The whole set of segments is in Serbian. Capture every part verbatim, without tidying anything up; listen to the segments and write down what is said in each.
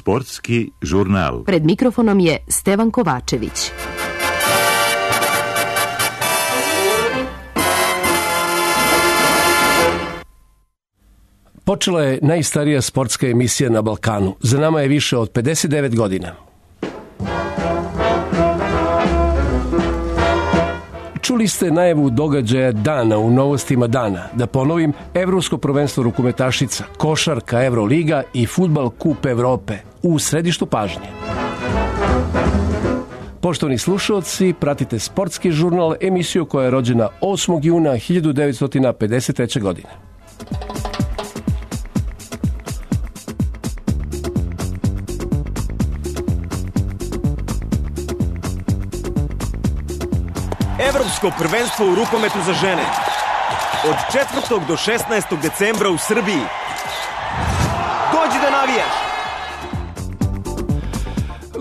Sportski žurnal. Pred mikrofonom je Stevan Kovačević. Počela je najstarija sportska emisija na Balkanu. Za nama je više od pedeset devet godina. Čuli ste najavu događaja dana u novostima dana. Da ponovim, Evropsko prvenstvo rukometašica, košarka Evroliga i fudbal Kup Evrope u središtu pažnje. Poštovani slušalci, pratite Sportski žurnal, emisiju koja je rođena osmog juna hiljadu devetsto pedeset treće. godine. Evropsko prvenstvo u rukometu za žene. Od četvrtog do šesnaestog decembra u Srbiji. Dođi da navijaš!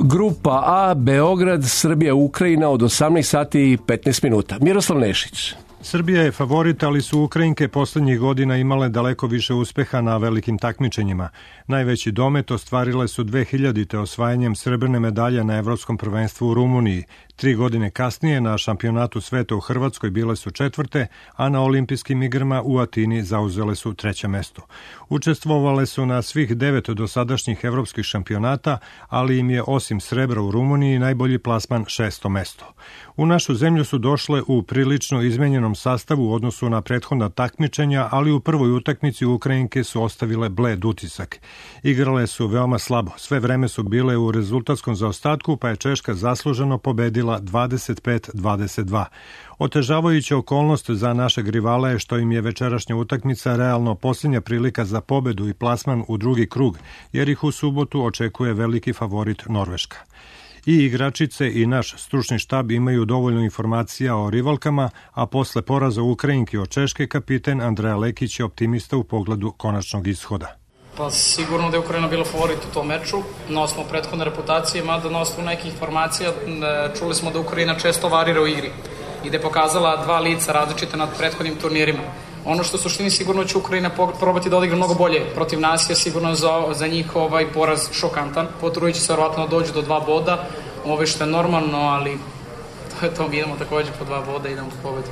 Grupa A, Beograd, Srbija, Ukrajina od osamnaest sati i petnaest minuta. Miroslav Nešić. Srbija je favorit, ali su Ukrajinke poslednjih godina imale daleko više uspeha na velikim takmičenjima. Najveći domet ostvarile su dve hiljadite osvajanjem srebrne medalje na Evropskom prvenstvu u Rumuniji. Tri godine kasnije na šampionatu sveta u Hrvatskoj bile su četvrte, a na olimpijskim igrama u Atini zauzele su treće mesto. Učestvovale su na svih devet dosadašnjih evropskih šampionata, ali im je osim srebra u Rumuniji najbolji plasman šesto mesto. U našu zemlju su došle u prilično izmenjenom sastavu u odnosu na prethodna takmičenja, ali u prvoj utakmici Ukrajinke su ostavile bled utisak. Igrale su veoma slabo, sve vreme su bile u rezultatskom zaostatku, pa je Češka zasluženo pobedila dvadeset pet dvadeset dva. Otežavajuća okolnost za našeg rivala je što im je večerašnja utakmica realno posljednja prilika za pobedu i plasman u drugi krug, jer ih u subotu očekuje veliki favorit Norveška. I igračice i naš stručni štab imaju dovoljno informacija o rivalkama, a posle poraza Ukrajinke od Češke kapiten Andreja Lekić je optimista u pogledu konačnog ishoda. Pa sigurno da je Ukrajina bila favorit u tom meču, na osnovu prethodne reputacije, mada na osnovu nekih informacija čuli smo da Ukrajina često varira u igri i da je pokazala dva lica različite nad prethodnim turnirima. Ono što u suštini sigurno će Ukrajina probati da odigra mnogo bolje protiv nas je sigurno za, za njih ovaj poraz šokantan. Potrujući se verovatno dođu do dva boda, ovo što je normalno, ali to je to, mi idemo takođe po dva boda i idemo po pobedu.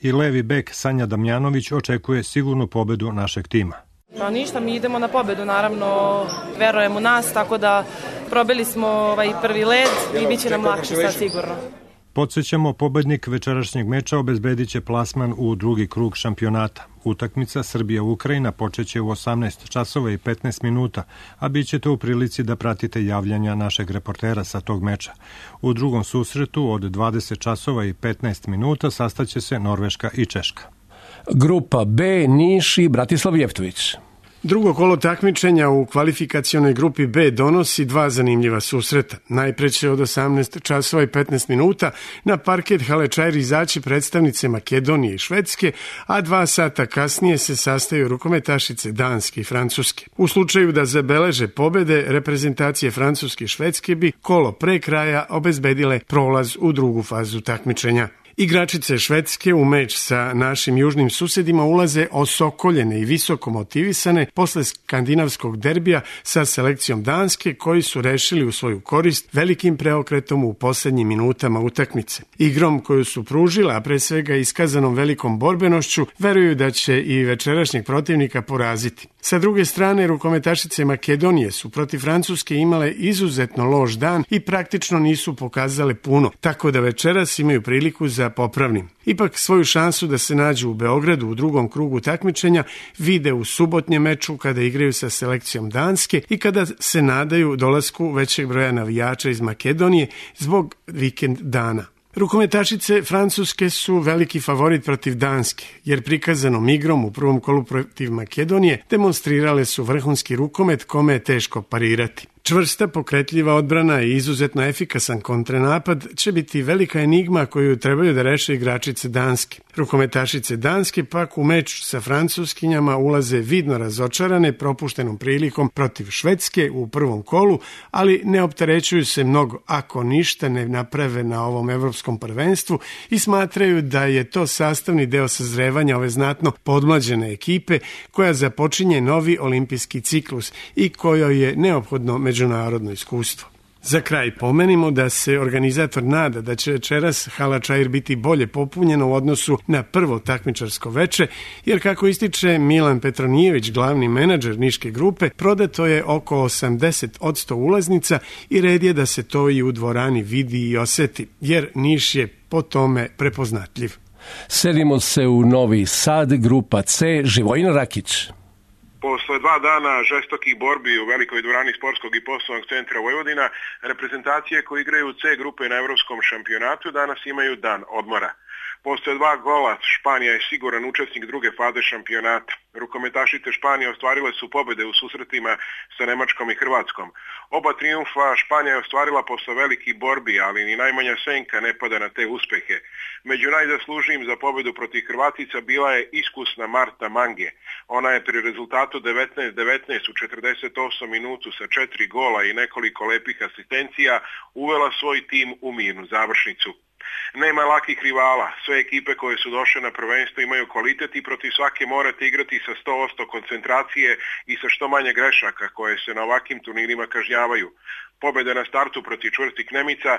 I levi bek Sanja Damjanović očekuje sigurnu pobedu našeg tima. Pa ništa, mi idemo na pobedu, naravno, verujem u nas, tako da probili smo ovaj prvi led i bit će nam lakše sad sigurno. Podsećamo, pobednik večerašnjeg meča obezbedit će plasman u drugi krug šampionata. Utakmica Srbija-Ukrajina počeće u osamnaest časova i petnaest minuta, a bit ćete u prilici da pratite javljanja našeg reportera sa tog meča. U drugom susretu od dvadeset časova i petnaest minuta sastaće se Norveška i Češka. Grupa B, Niš i Bratislav Jeftović. Drugo kolo takmičenja u kvalifikacionoj grupi B donosi dva zanimljiva susreta. Najpre će od osamnaest časova i petnaest minuta na parket hale Čair izaći predstavnice Makedonije i Švedske, a dva sata kasnije se sastaju rukometašice Danske i Francuske. U slučaju da zabeleže pobede, reprezentacije Francuske i Švedske bi kolo pre kraja obezbedile prolaz u drugu fazu takmičenja. Igračice Švedske u meč sa našim južnim susedima ulaze osokoljene i visoko motivisane posle skandinavskog derbija sa selekcijom Danske, koji su rešili u svoju korist velikim preokretom u poslednjim minutama utakmice. Igrom koju su pružila, a pre svega iskazanom velikom borbenošću, veruju da će i večerašnjeg protivnika poraziti. Sa druge strane, rukometašice Makedonije su protiv Francuske imale izuzetno loš dan i praktično nisu pokazale puno, tako da večeras imaju priliku za popravnim. Ipak svoju šansu da se nađu u Beogradu u drugom krugu takmičenja vide u subotnjem meču kada igraju sa selekcijom Danske i kada se nadaju dolasku većeg broja navijača iz Makedonije zbog vikend dana. Rukometašice Francuske su veliki favorit protiv Danske, jer prikazanom igrom u prvom kolu protiv Makedonije demonstrirale su vrhunski rukomet kome je teško parirati. Čvrsta, pokretljiva odbrana i izuzetno efikasan kontranapad će biti velika enigma koju trebaju da reše igračice Danske. Rukometašice Danske pak u meč sa Francuskinjama ulaze vidno razočarane propuštenom prilikom protiv Švedske u prvom kolu, ali ne opterećuju se mnogo ako ništa ne naprave na ovom evropskom prvenstvu i smatraju da je to sastavni deo sazrevanja ove znatno podmlađene ekipe koja započinje novi olimpijski ciklus i kojoj je neophodno međunarodno iskustvo. Za kraj pomenimo da se organizator nada da će večeras hala Čair biti bolje popunjena u odnosu na prvo takmičarsko veče, jer kako ističe Milan Petronijević, glavni menadžer niške grupe, prodato je oko osamdeset posto ulaznica i red je da se to i u dvorani vidi i oseti, jer Niš je po tome prepoznatljiv. Selimo se u Novi Sad, grupa C, Živojin Rakić. Posle dva dana žestokih borbi u velikoj dvorani Sportskog i poslovnog centra Vojvodina, reprezentacije koje igraju u C grupe na evropskom šampionatu danas imaju dan odmora. Posle dva gola Španija je siguran učesnik druge faze šampionata. Rukometašice Španije ostvarile su pobede u susretima sa Nemačkom i Hrvatskom. Oba trijumfa Španija je ostvarila posle velikih borbi, ali ni najmanja senka ne pada na te uspehe. Među najzaslužnijim za pobedu protiv Hrvatica bila je iskusna Marta Mange. Ona je pri rezultatu devetnaest devetnaest u četrdeset osam minutu sa četiri gola i nekoliko lepih asistencija uvela svoj tim u mirnu završnicu. Nema lakih rivala, sve ekipe koje su došle na prvenstvo imaju kvalitet i protiv svake morate igrati sa sto posto koncentracije i sa što manje grešaka koje se na ovakvim turnirima kažnjavaju. Pobjeda na startu protiv čvrstih Nemica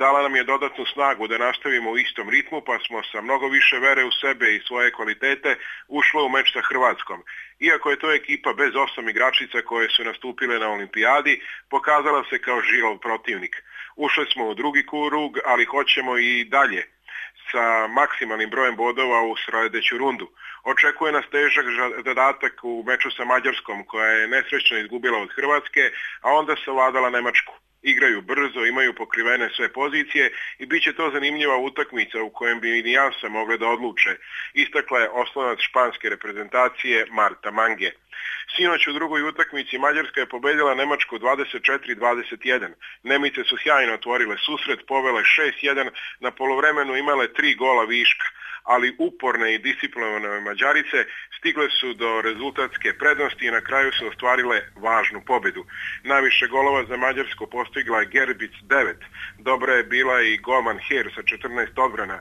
dala nam je dodatnu snagu da nastavimo u istom ritmu, pa smo sa mnogo više vere u sebe i svoje kvalitete ušli u meč sa Hrvatskom. Iako je to ekipa bez osam igračica koje su nastupile na olimpijadi, pokazala se kao žilav protivnik. Ušli smo u drugi krug, ali hoćemo i dalje sa maksimalnim brojem bodova u sledeću rundu. Očekuje nas težak zadatak u meču sa Mađarskom, koja je nesrećno izgubila od Hrvatske, a onda savladala Nemačku. Igraju brzo, imaju pokrivene sve pozicije i bit će to zanimljiva utakmica u kojem bi i nijanse mogle da odluče, istakla je oslonac španske reprezentacije Marta Mange. Sinoć u drugoj utakmici Mađarska je pobedila Nemačku dvadeset četiri dvadeset jedan. Nemice su sjajno otvorile susret, povele šest jedan, na poluvremenu imale tri gola viška, ali uporne i disciplinovane Mađarice stigle su do rezultatske prednosti i na kraju su ostvarile važnu pobedu. Najviše golova za Mađarsku postigla je Gerbic devet, dobra je bila i golman Her sa četrnaest odbrana.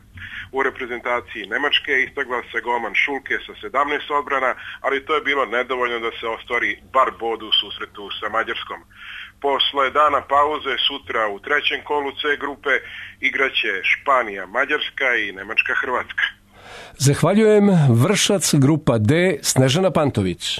U reprezentaciji Nemačke istakla se golman Šulke sa sedamnaest odbrana, ali to je bilo nedovoljno da se ostvari bar bod u susretu sa Mađarskom. Posle dana pauze sutra u trećem kolu C grupe igraće Španija, Mađarska i Nemačka, Hrvatska. Zahvaljujem. Vršac, grupa D, Snežana Pantović.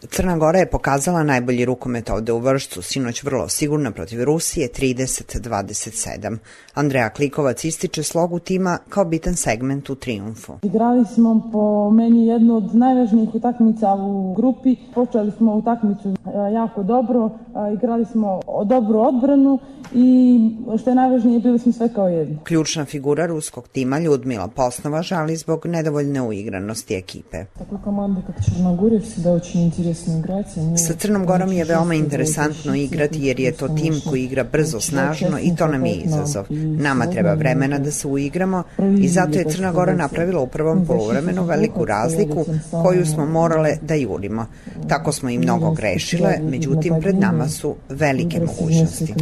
Crna Gora je pokazala najbolji rukomet ovde u Vršcu, sinoć vrlo sigurno protiv Rusije trideset dvadeset sedam. Andreja Klikovac ističe slogu tima kao bitan segment u trijumfu. Igrali smo po meni jednu od najvažnijih utakmica u grupi. Počeli smo utakmicu jako dobro, igrali smo dobru odbranu i što je najvažnije, bili smo sve kao jedno. Ključna figura ruskog tima Ljudmila Posnova žali zbog nedovoljne uigranosti ekipe. Tako komanda kako Črnogorje se da очень интересно igrati. Sa Crnom Gorom je veoma interesantno igrati jer je to tim koji igra brzo, snažno i to nam je izazov. Nama treba vremena da se uigramo i zato je Crna Gora napravila u prvom poluvremenu veliku razliku koju smo morale da jurimo. Tako smo i mnogo grešile, međutim pred nama su velike mogućnosti.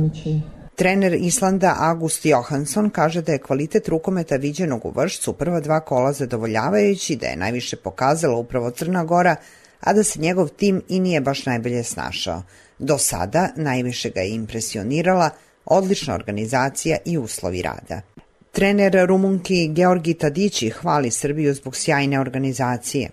Trener Islanda August Johansson kaže da je kvalitet rukometa viđenog u Vršcu prva dva kola zadovoljavajući, da je najviše pokazala upravo Crna Gora, a da se njegov tim i nije baš najbolje snašao. Do sada najviše ga je impresionirala odlična organizacija i uslovi rada. Trener Rumunki Georgi Tadići hvali Srbiju zbog sjajne organizacije.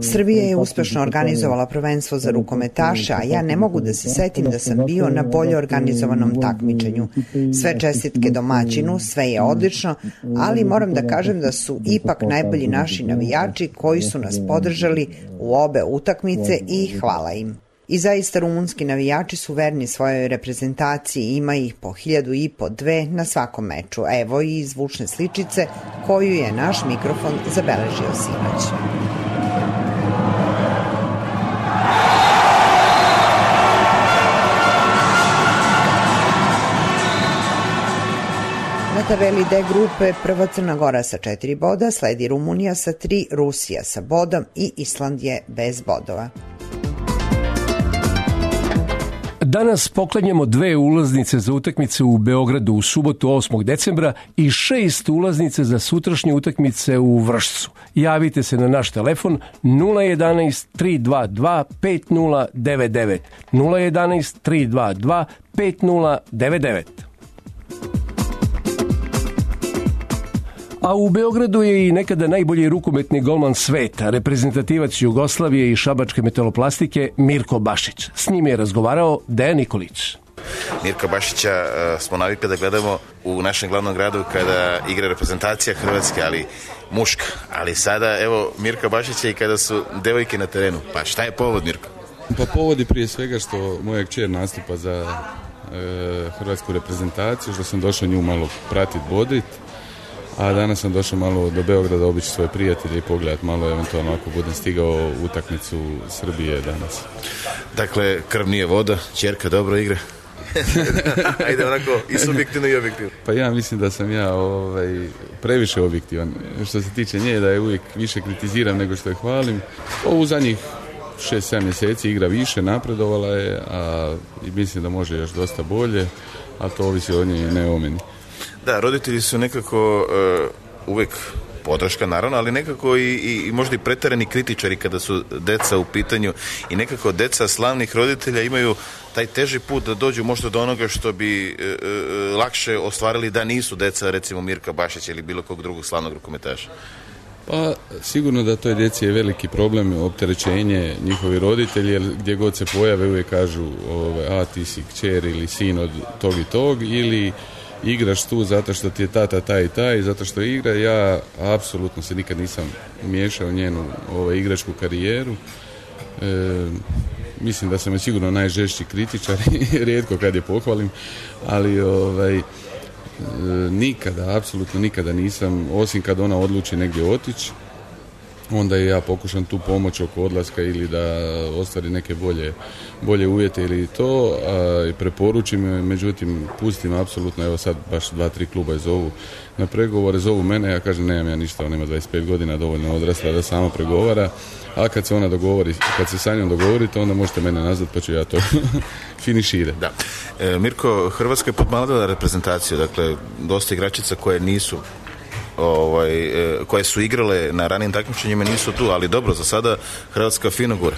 Srbija je uspešno organizovala prvenstvo za rukometaše, a ja ne mogu da se setim da sam bio na bolje organizovanom takmičenju. Sve čestitke domaćinu, sve je odlično, ali moram da kažem da su ipak najbolji naši navijači koji su nas podržali u obe utakmice i hvala im. I zaista rumunski navijači su verni svojoj reprezentaciji, ima ih po hiljadu i po dve na svakom meču. Evo i zvučne sličice koju je naš mikrofon zabeležio sinoć. Na tabeli D grupe prva Crna Gora sa četiri boda, sledi Rumunija sa tri, Rusija sa bodom i Island je bez bodova. Danas poklanjamo dve ulaznice za utakmice u Beogradu u subotu osmog decembra i šest ulaznice za sutrašnje utakmice u Vršcu. Javite se na naš telefon nula jedanaest tri dva dva pet nula devet devet nula jedanaest tri dva dva pet nula devet devet. A u Beogradu je i nekada najbolji rukometni golman sveta, reprezentativac Jugoslavije i šabačke metaloplastike Mirko Bašić. S njim je razgovarao Dejan Nikolić. Mirka Bašića uh, smo navikli da gledamo u našem glavnom gradu kada igra reprezentacija Hrvatske, ali muška. Ali sada, evo, Mirka Bašića i kada su devojke na terenu. Pa šta je povod, Mirko? Pa povod je prije svega što moja kćer nastupa za e, hrvatsku reprezentaciju, što sam došao nju malo pratiti, bodrit. A danas sam došao malo do Beograda obići svoje prijatelje i pogledat malo, eventualno ako budem stigao utakmicu Srbije danas. Dakle, krv nije voda, ćerka dobro igra. Ajde onako i subjektivno i objektivno. Pa ja mislim da sam ja ovaj, previše objektivan. Što se tiče nje, da je uvijek više kritiziram nego što je hvalim. Ovu zadnjih šest sedam mjeseci igra više, napredovala je, a mislim da može još dosta bolje, a to ovisi od nje, ne o meni. Da, roditelji su nekako uh, uvijek podrška naravno, ali nekako i, i, i možda i pretjerani kritičari kada su deca u pitanju i nekako deca slavnih roditelja imaju taj teži put da dođu možda do onoga što bi uh, uh, lakše ostvarili da nisu deca recimo Mirka Bašića ili bilo kog drugog slavnog rukometaša. Pa sigurno da toj djeci je veliki problem, opterećenje njihovi roditelji, jer gdje god se pojave uvijek kažu ove, a ti si kćer ili sin od tog i tog, ili igraš tu zato što ti je tata taj i taj, zato što igra. Ja apsolutno se nikad nisam miješao u njenu ovaj, igračku karijeru. E, mislim da sam je sigurno najžešći kritičar i rijetko kad je pohvalim, ali ovaj, e, nikada, apsolutno nikada nisam, osim kad ona odluči negdje otići, onda i ja pokušam tu pomoć oko odlaska ili da ostvari neke bolje, bolje uvjete ili to, a, i preporučim, međutim pustim apsolutno, evo sad baš dva, tri kluba zovu na pregovore, zovu mene, ja kažem nemam ja ništa, ona ima dvadeset pet godina, dovoljno odrasla da sama pregovara, a kad se ona dogovori, kad se sa njom dogovorite, onda možete mene nazvat pa ću ja to finiširati. Da. E, Mirko, Hrvatska je podmladila reprezentaciju, dakle dosta igračica koje nisu Ovaj, koje su igrale na ranijim takmičenjima nisu tu, ali dobro, za sada Hrvatska fino gura.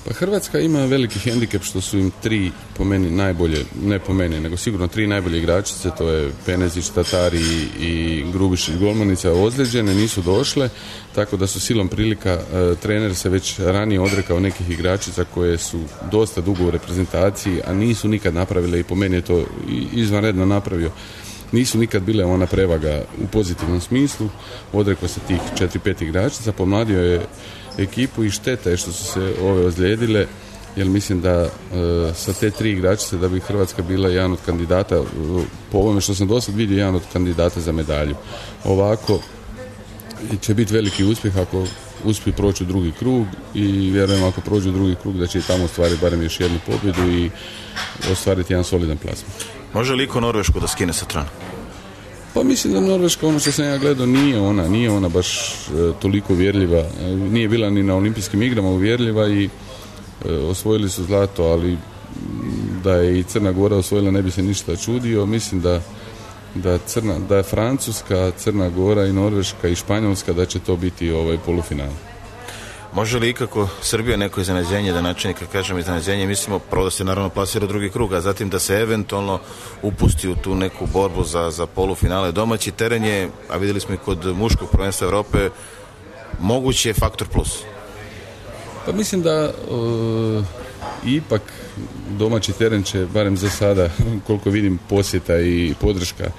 Pa Hrvatska ima veliki hendikep što su im tri, po meni najbolje, ne po meni, nego sigurno tri najbolje igračice, to je Penezić, Tatari i Grubišić golmanica, ozlijeđene, nisu došle, tako da su silom prilika, e, trener se već ranije odrekao nekih igračica koje su dosta dugo u reprezentaciji, a nisu nikad napravile, i po meni je to izvanredno napravio. Nisu nikad bile ona prevaga u pozitivnom smislu, odrekao se tih četiri pet igračica, pomladio je ekipu i šteta je što su se ove ozlijedile, jer mislim da e, sa te tri igračice da bi Hrvatska bila jedan od kandidata, po ovome što sam do sad vidio, jedan od kandidata za medalju. Ovako će biti veliki uspjeh ako uspiju proći u drugi krug i vjerujem ako prođu u drugi krug da će i tamo ostvariti barem još jednu pobjedu i ostvariti jedan solidan plasman. Može li iko Norvešku da skine sa trona? Pa mislim da Norveška, ono što sam ja gledao, nije ona, nije ona baš e, toliko uvjerljiva. E, nije bila ni na olimpijskim igrama uvjerljiva i e, osvojili su zlato, ali da je i Crna Gora osvojila ne bi se ništa čudio. Mislim da, da, Crna, da je Francuska, Crna Gora i Norveška i Španjolska da će to biti ovaj polufinal. Može li ikako Srbija neko iznenađenje, da načini, kad kažem iznenađenje, mislimo prvo da se naravno plasira u drugi krug, a zatim da se eventualno upusti u tu neku borbu za, za polufinale. Domaći teren je, a vidjeli smo i kod muškog prvenstva Evrope, mogući je faktor plus. Pa mislim da uh, ipak domaći teren će, barem za sada, koliko vidim posjeta i podrška uh,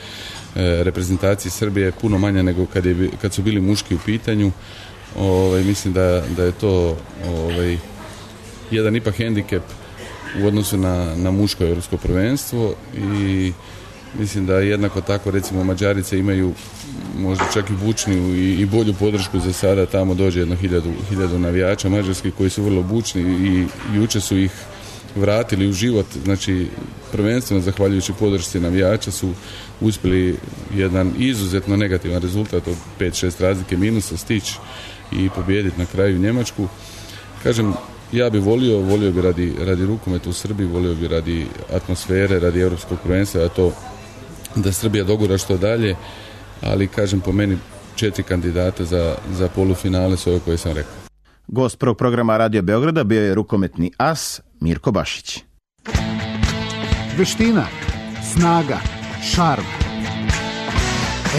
reprezentaciji Srbije puno manja nego kad, je, kad su bili muški u pitanju. Ovaj, mislim da, da je to ovaj, jedan ipak hendikep u odnosu na, na muško europsko prvenstvo i mislim da jednako tako recimo Mađarice imaju možda čak i bučniju i, i bolju podršku za sada, tamo dođe jedno hiljadu, hiljadu navijača mađarskih koji su vrlo bučni i juče su ih vratili u život, znači prvenstveno zahvaljujući podršci navijača su uspjeli jedan izuzetno negativan rezultat od pet šest razlike minusa stići i pobijediti na kraju Njemačku. Kažem, ja bi volio, volio bi radi, radi rukometa u Srbiji, volio bi radi atmosfere, radi evropskog prvenstva, da to da Srbija dogura što dalje, ali kažem po meni četiri kandidata za, za polufinale su ove koje sam rekao. Gost prvog programa Radio Beograda bio je rukometni as Mirko Bašić. Veština, snaga, šarm.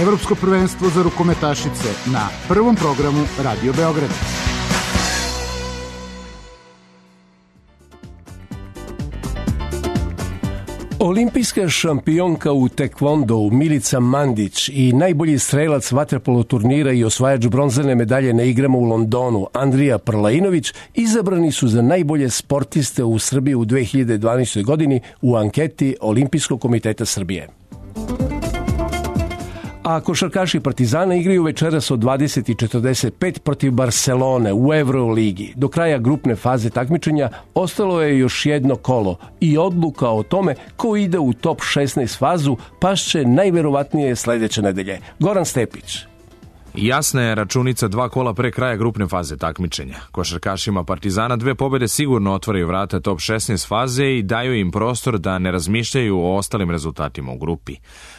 Evropsko prvenstvo za rukometašice na prvom programu Radio Beograda. Olimpijska šampionka u tekvondou Milica Mandić i najbolji strelac vaterpolo turnira i osvajač bronzane medalje na igrama u Londonu Andrija Prlainović izabrani su za najbolje sportiste u Srbiji u dve hiljade dvanaestoj. godini u anketi Olimpijskog komiteta Srbije. A košarkaši Partizana igraju večeras od dvadeset i četrdeset pet protiv Barcelone u Euroligi. Do kraja grupne faze takmičenja ostalo je još jedno kolo i odluka o tome ko ide u top šesnaest fazu pašće najverovatnije sledeće nedelje. Goran Stepić. Jasna je računica dva kola pre kraja grupne faze takmičenja. Košarkašima Partizana dve pobede sigurno otvaraju vrata top šesnaest faze i daju im prostor da ne razmišljaju o ostalim rezultatima u grupi.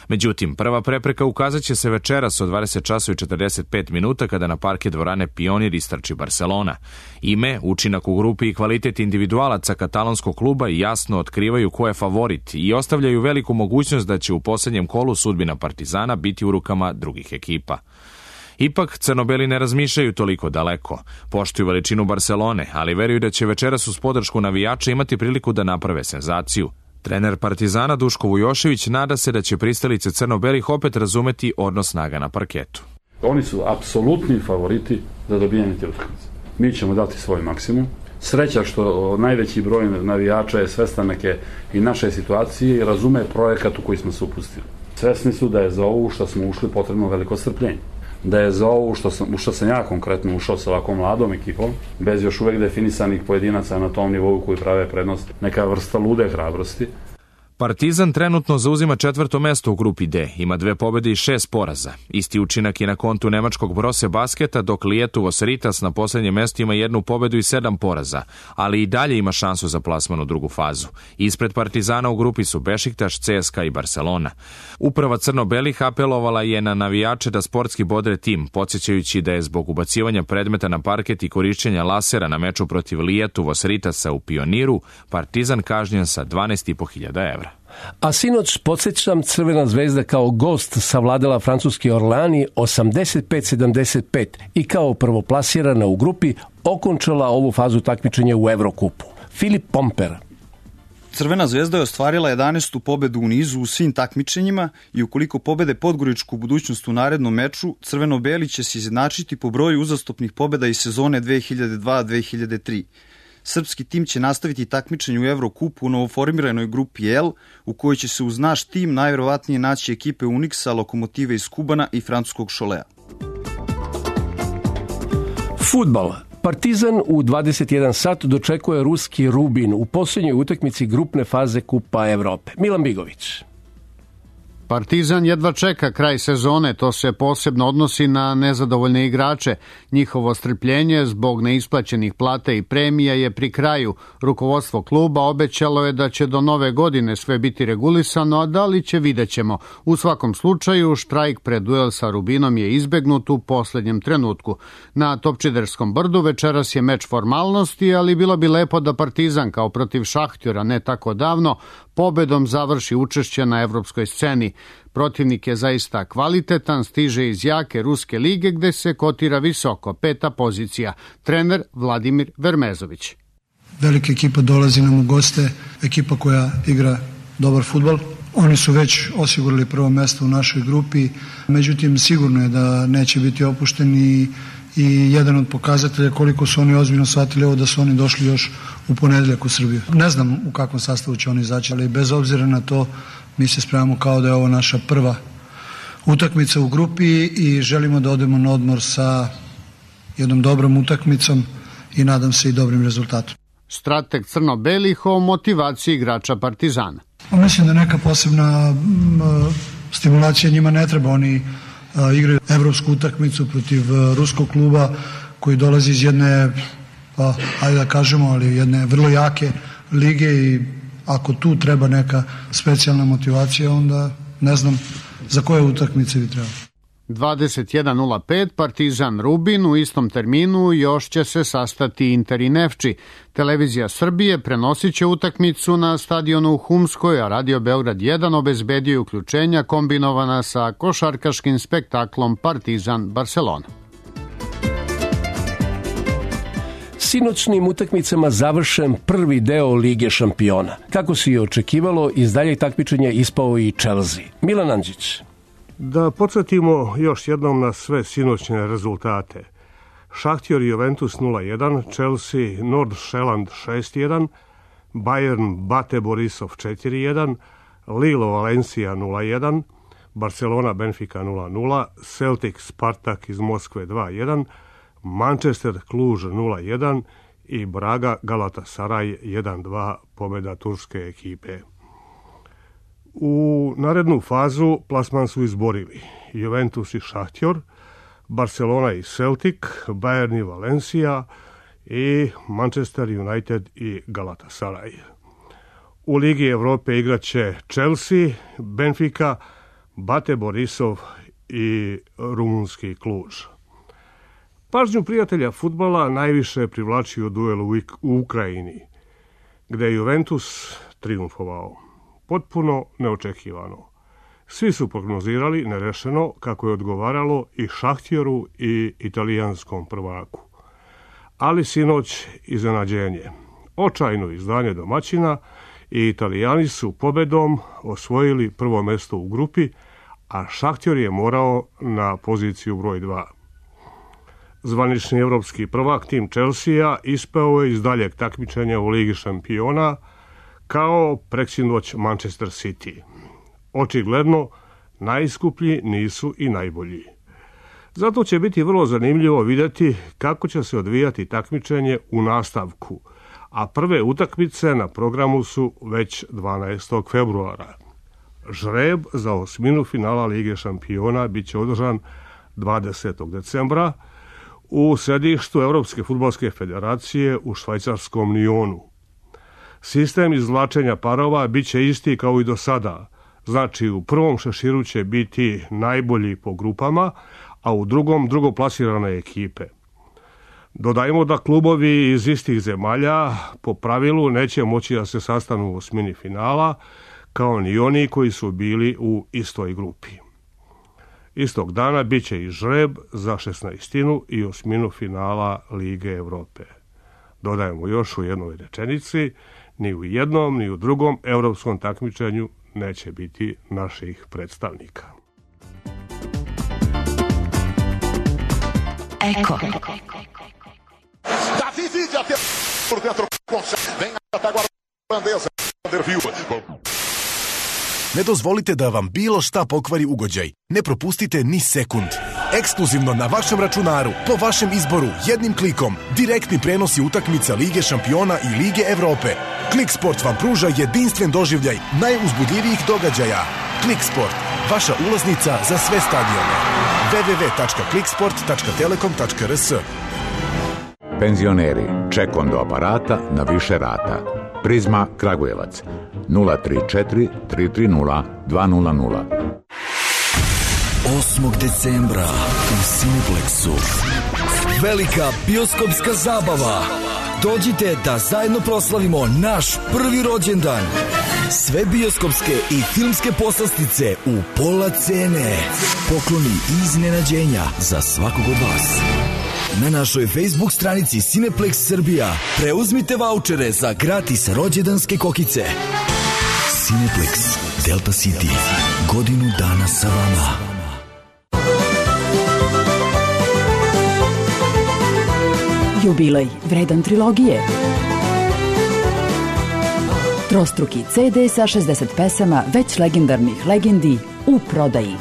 Međutim, prva prepreka ukazat će se večeras od dvadeset časova i četrdeset pet minuta kada na parke dvorane Pionir istrči Barcelona. Ime, učinak u grupi i kvalitet individualaca katalonskog kluba jasno otkrivaju ko je favorit i ostavljaju veliku mogućnost da će u poslednjem kolu sudbina Partizana biti u rukama drugih ekipa. Ipak, crnobeli ne razmišljaju toliko daleko. Poštuju veličinu Barcelone, ali veruju da će večeras uz podršku navijača imati priliku da naprave senzaciju. Trener Partizana Duško Vujošević nada se da će pristalice crno-belih opet razumeti odnos snaga na parketu. Oni su apsolutni favoriti za dobijanje te utakmice. Mi ćemo dati svoj maksimum. Sreća što najveći broj navijača je svestan neke i naše situacije i razume projekat u koji smo se upustili. Svesni su da je za ovu što smo ušli potrebno veliko strpljenje. Da je za ovu što sam, što sam ja konkretno ušao sa ovakvom mladom ekipom, bez još uvek definisanih pojedinaca na tom nivou koji prave prednost, neka vrsta lude hrabrosti. Partizan trenutno zauzima četvrto mesto u grupi D, ima dve pobede i šest poraza. Isti učinak je na kontu nemačkog Brose basketa, dok Lietuvos Ritas na poslednjem mestu ima jednu pobedu i sedam poraza, ali i dalje ima šansu za plasman u drugu fazu. Ispred Partizana u grupi su Bešiktaš, C S K A i Barcelona. Uprava crno-belih apelovala je na navijače da sportski bodre tim, podsjećajući da je zbog ubacivanja predmeta na parket i korišćenja lasera na meču protiv Lietuvos Ritasa u Pioniru, Partizan kažnjen sa dvanaest i po hiljada evra. A sinoć, podsjećam, Crvena zvezda kao gost savladala francuski Orleani osamdeset pet sedamdeset pet i kao prvoplasirana u grupi okončala ovu fazu takmičenja u Evrokupu. Filip Pomper. Crvena zvezda je ostvarila jedanaestu pobedu u nizu u svim takmičenjima i ukoliko pobede Podgoričku budućnost u narednom meču, crveno-beli će se izjednačiti po broju uzastopnih pobeda iz sezone dve hiljade dva dve hiljade tri. Srpski tim će nastaviti takmičenje u Evrokupu u novoformiranoj grupi L, u kojoj će se uz naš tim najverovatnije naći ekipe Unixa, Lokomotive iz Kubana i francuskog Šolea. Fudbal. Partizan u dvadeset jedan sat dočekuje ruski Rubin u posljednjoj utakmici grupne faze Kupa Evrope. Milan Bigović. Partizan jedva čeka kraj sezone, to se posebno odnosi na nezadovoljne igrače. Njihovo strpljenje zbog neisplaćenih plata i premija je pri kraju. Rukovodstvo kluba obećalo je da će do nove godine sve biti regulisano, a da li će vidjet ćemo. U svakom slučaju, štrajk pred duel sa Rubinom je izbegnut u poslednjem trenutku. Na Topčiderskom brdu večeras je meč formalnosti, ali bilo bi lepo da Partizan kao protiv Šahtjora ne tako davno pobedom završi učešće na evropskoj sceni. Protivnik je zaista kvalitetan, stiže iz jake ruske lige gde se kotira visoko, peta pozicija. Trener Vladimir Vermezović. Velika ekipa dolazi nam u goste, ekipa koja igra dobar fudbal. Oni su već osigurali prvo mesto u našoj grupi, međutim sigurno je da neće biti opušteni i jedan od pokazatelja koliko su oni ozbiljno shvatili ovo da su oni došli još u ponedeljak u Srbiju. Ne znam u kakvom sastavu će oni izaći, ali bez obzira na to mi se spremamo kao da je ovo naša prva utakmica u grupi i želimo da odemo na odmor sa jednom dobrom utakmicom i nadam se i dobrim rezultatom. Strateg crno-belih o motivaciji igrača Partizana. Mislim da neka posebna stimulacija njima ne treba, oni igraju evropsku utakmicu protiv ruskog kluba koji dolazi iz jedne pa ajde da kažemo, ali jedne vrlo jake lige i ako tu treba neka specijalna motivacija, onda ne znam za koje utakmice bi trebalo. dvadeset jedan nula pet Partizan Rubin u istom terminu još će se sastati Inter i Nefči. Televizija Srbije prenosit će utakmicu na stadionu u Humskoj, a Radio Beograd jedan obezbedio uključenja kombinovana sa košarkaškim spektaklom Partizan Barcelona. Sinoćnim utakmicama završen prvi deo Lige šampiona. Kako se i očekivalo, iz daljeg takmičenja ispao i Chelsea. Milan Andžić. Da podsjetimo još jednom na sve sinoćne rezultate. Šahtjor i Juventus nula jedan, Chelsea Nordsjælland šest jedan, Bayern Bate Borisov četiri jedan, Lille Valencia nula jedan, Barcelona Benfica nula nula, Celtic Spartak iz Moskve dva jedan, Manchester Cluj nula jedan i Braga Galatasaray jedan dva, pobjeda turske ekipe. U narednu fazu plasman su izborili Juventus i Šahtjor, Barcelona i Celtic, Bayern i Valencia i Manchester United i Galatasaray. U Ligi Evrope igraće Chelsea, Benfica, Bate Borisov i rumunski Cluj. Pažnju prijatelja fudbala najviše privlačio duel u Ukrajini, gde je Juventus triumfovao. Potpuno neočekivano. Svi su prognozirali nerešeno kako je odgovaralo i Šahtjoru i italijanskom prvaku. Ali sinoć iznenađenje. Očajno izdanje domaćina i Italijani su pobedom osvojili prvo mesto u grupi, a Šahtjor je morao na poziciju broj dva. Zvanični evropski prvak tim Chelsea ispao je iz daljeg takmičenja u Ligi šampiona kao preksinoć Manchester City. Očigledno, najskuplji nisu i najbolji. Zato će biti vrlo zanimljivo vidjeti kako će se odvijati takmičenje u nastavku, a prve utakmice na programu su već dvanaestog februara. Žreb za osminu finala Lige šampiona bit će održan dvadesetog decembra u središtu Evropske fudbalske federacije u švajcarskom Nionu. Sistem izvlačenja parova bit će isti kao i do sada, znači u prvom šeširu će biti najbolji po grupama, a u drugom drugoplasirane ekipe. Dodajmo da klubovi iz istih zemalja po pravilu neće moći da se sastanu u osmini finala, kao ni oni koji su bili u istoj grupi. Istog dana bit će i žreb za šesnaestinu i osminu finala Lige Evrope. Dodajemo još u jednoj rečenici, ni u jednom ni u drugom evropskom takmičenju neće biti naših predstavnika. Eko. Ne dozvolite da vam bilo šta pokvari ugođaj. Ne propustite ni sekund. Ekskluzivno na vašem računaru, po vašem izboru, jednim klikom, direktni prenosi utakmica Lige šampiona i Lige Evrope. Kliksport vam pruža jedinstven doživljaj najuzbudljivijih događaja. Kliksport, vaša ulaznica za sve stadione. w w w tačka kliksport tačka telekom tačka r s. Penzioneri, ček do aparata na više rata. Prizma Kragujevac nula tri četiri tri tri nula dva nula nula. osmog decembra u Cineplexu velika bioskopska zabava. Dođite da zajedno proslavimo naš prvi rođendan. Sve bioskopske i filmske poslastice u pola cene. Pokloni i iznenađenja za svakog od vas. Na našoj Facebook stranici Cineplex Srbija preuzmite vaučere za gratis rođendanske kokice. Cineplex Delta City. Godinu dana sa vama. Jubilej vredan trilogije. Trostruki ce de sa šezdeset pesama već legendarnih legendi u prodaji.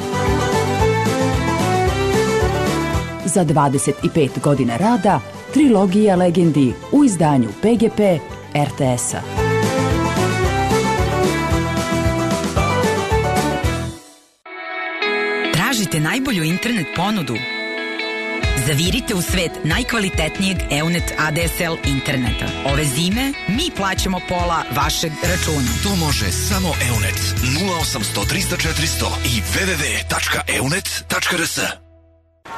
Za dvadeset pet godina rada, trilogija legendi u izdanju pe ge pe er te es-a. Tražite najbolju internet ponudu? Zavirite u svet najkvalitetnijeg Eunet A D S L interneta. Ove zime mi plaćamo pola vašeg računa. To može samo Eunet. nula osamsto trista četiristo i w w w tačka eunet tačka r s.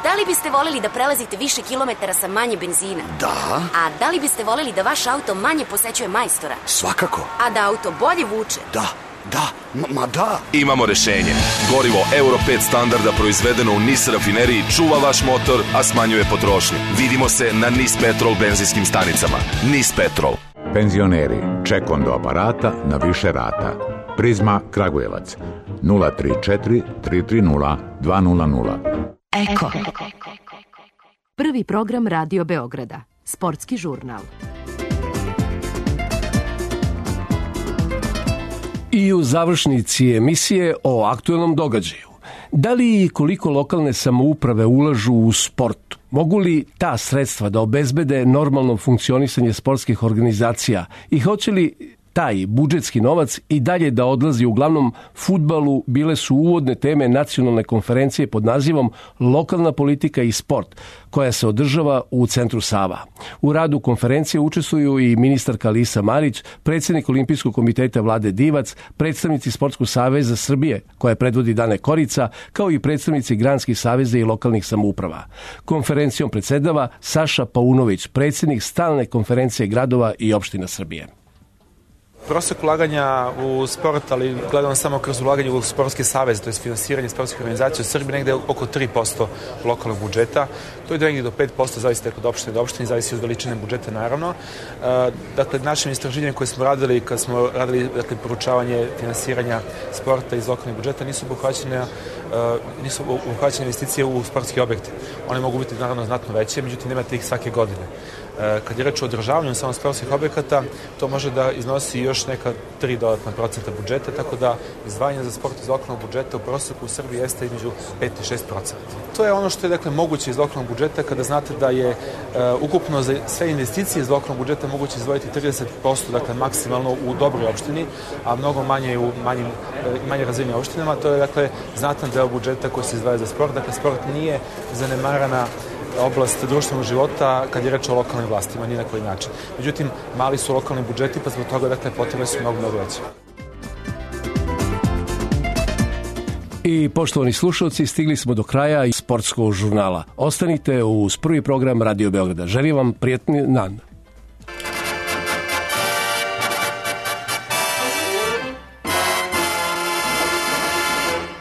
Da li biste voleli da prelazite više kilometara sa manje benzina? Da. A da li biste voleli da vaš auto manje posećuje majstora? Svakako. A da auto bolje vuče? Da. Da, ma, ma da. Imamo rešenje. Gorivo Euro pet standarda proizvedeno u N I S rafineriji čuva vaš motor, a smanjuje potrošnju. Vidimo se na N I S Petrol benzinskim stanicama. N I S Petrol. Penzioneri, ček do aparata na više rata. Prizma Kragujevac nula tri četiri tri tri nula dva nula nula. Eko. Prvi program Radio Beograda. Sportski žurnal. I u završnici emisije o aktuelnom događaju. Da li i koliko lokalne samouprave ulažu u sport? Mogu li ta sredstva da obezbede normalno funkcionisanje sportskih organizacija i hoće li taj budžetski novac i dalje da odlazi uglavnom fudbalu, bile su uvodne teme nacionalne konferencije pod nazivom Lokalna politika i sport, koja se održava u centru Sava. U radu konferencije učestvuju i ministarka Lisa Marić, predsjednik Olimpijskog komiteta Vlade Divac, predstavnici Sportskog saveza Srbije, koje predvodi Dane Korica, kao i predstavnici granskih saveza i lokalnih samouprava. Konferencijom predsedava Saša Paunović, predsjednik stalne konferencije gradova i opština Srbije. Prosek ulaganja u sport, ali gledamo samo kroz ulaganje u sportski savez, to je finansiranje sportskih organizacija u Srbiji, negde oko tri posto lokalnog budžeta. To je negde do pet posto, zavisi od opštine do opštine, zavisi od veličine budžeta, naravno. Dakle, našim istraživanjem koje smo radili, kad smo radili dakle, poručavanje finansiranja sporta iz lokalnih budžeta, nisu obuhvaćene, nisu obuhvaćene investicije u sportske objekte. One mogu biti, naravno, znatno veće, međutim, nemate ih svake godine. Kad je reč o održavanju samo sportskih objekata, to može da iznosi još neka tri dodatna procenta budžeta, tako da izdvajanje za sport iz lokalnog budžeta u proseku u Srbiji jeste između pet i šest procenta. To je ono što je dakle, moguće iz lokalnog budžeta kada znate da je uh, ukupno za sve investicije iz lokalnog budžeta moguće izdvojiti trideset posto, dakle maksimalno u dobroj opštini, a mnogo manje u manjim, manje razvijenim opštinama. To je dakle znatan deo budžeta koji se izdvaja za sport. Dakle, sport nije zanemarana oblast društvenog života kad je reč o lokalnim vlastima, ni na koji način. Međutim, mali su lokalni budžeti, pa zbog toga dakle, potrebe su mnogo, mnogo veće. I poštovani slušalci, stigli smo do kraja sportskog žurnala. Ostanite uz prvi program Radio Beograda. Želim vam prijatni dan.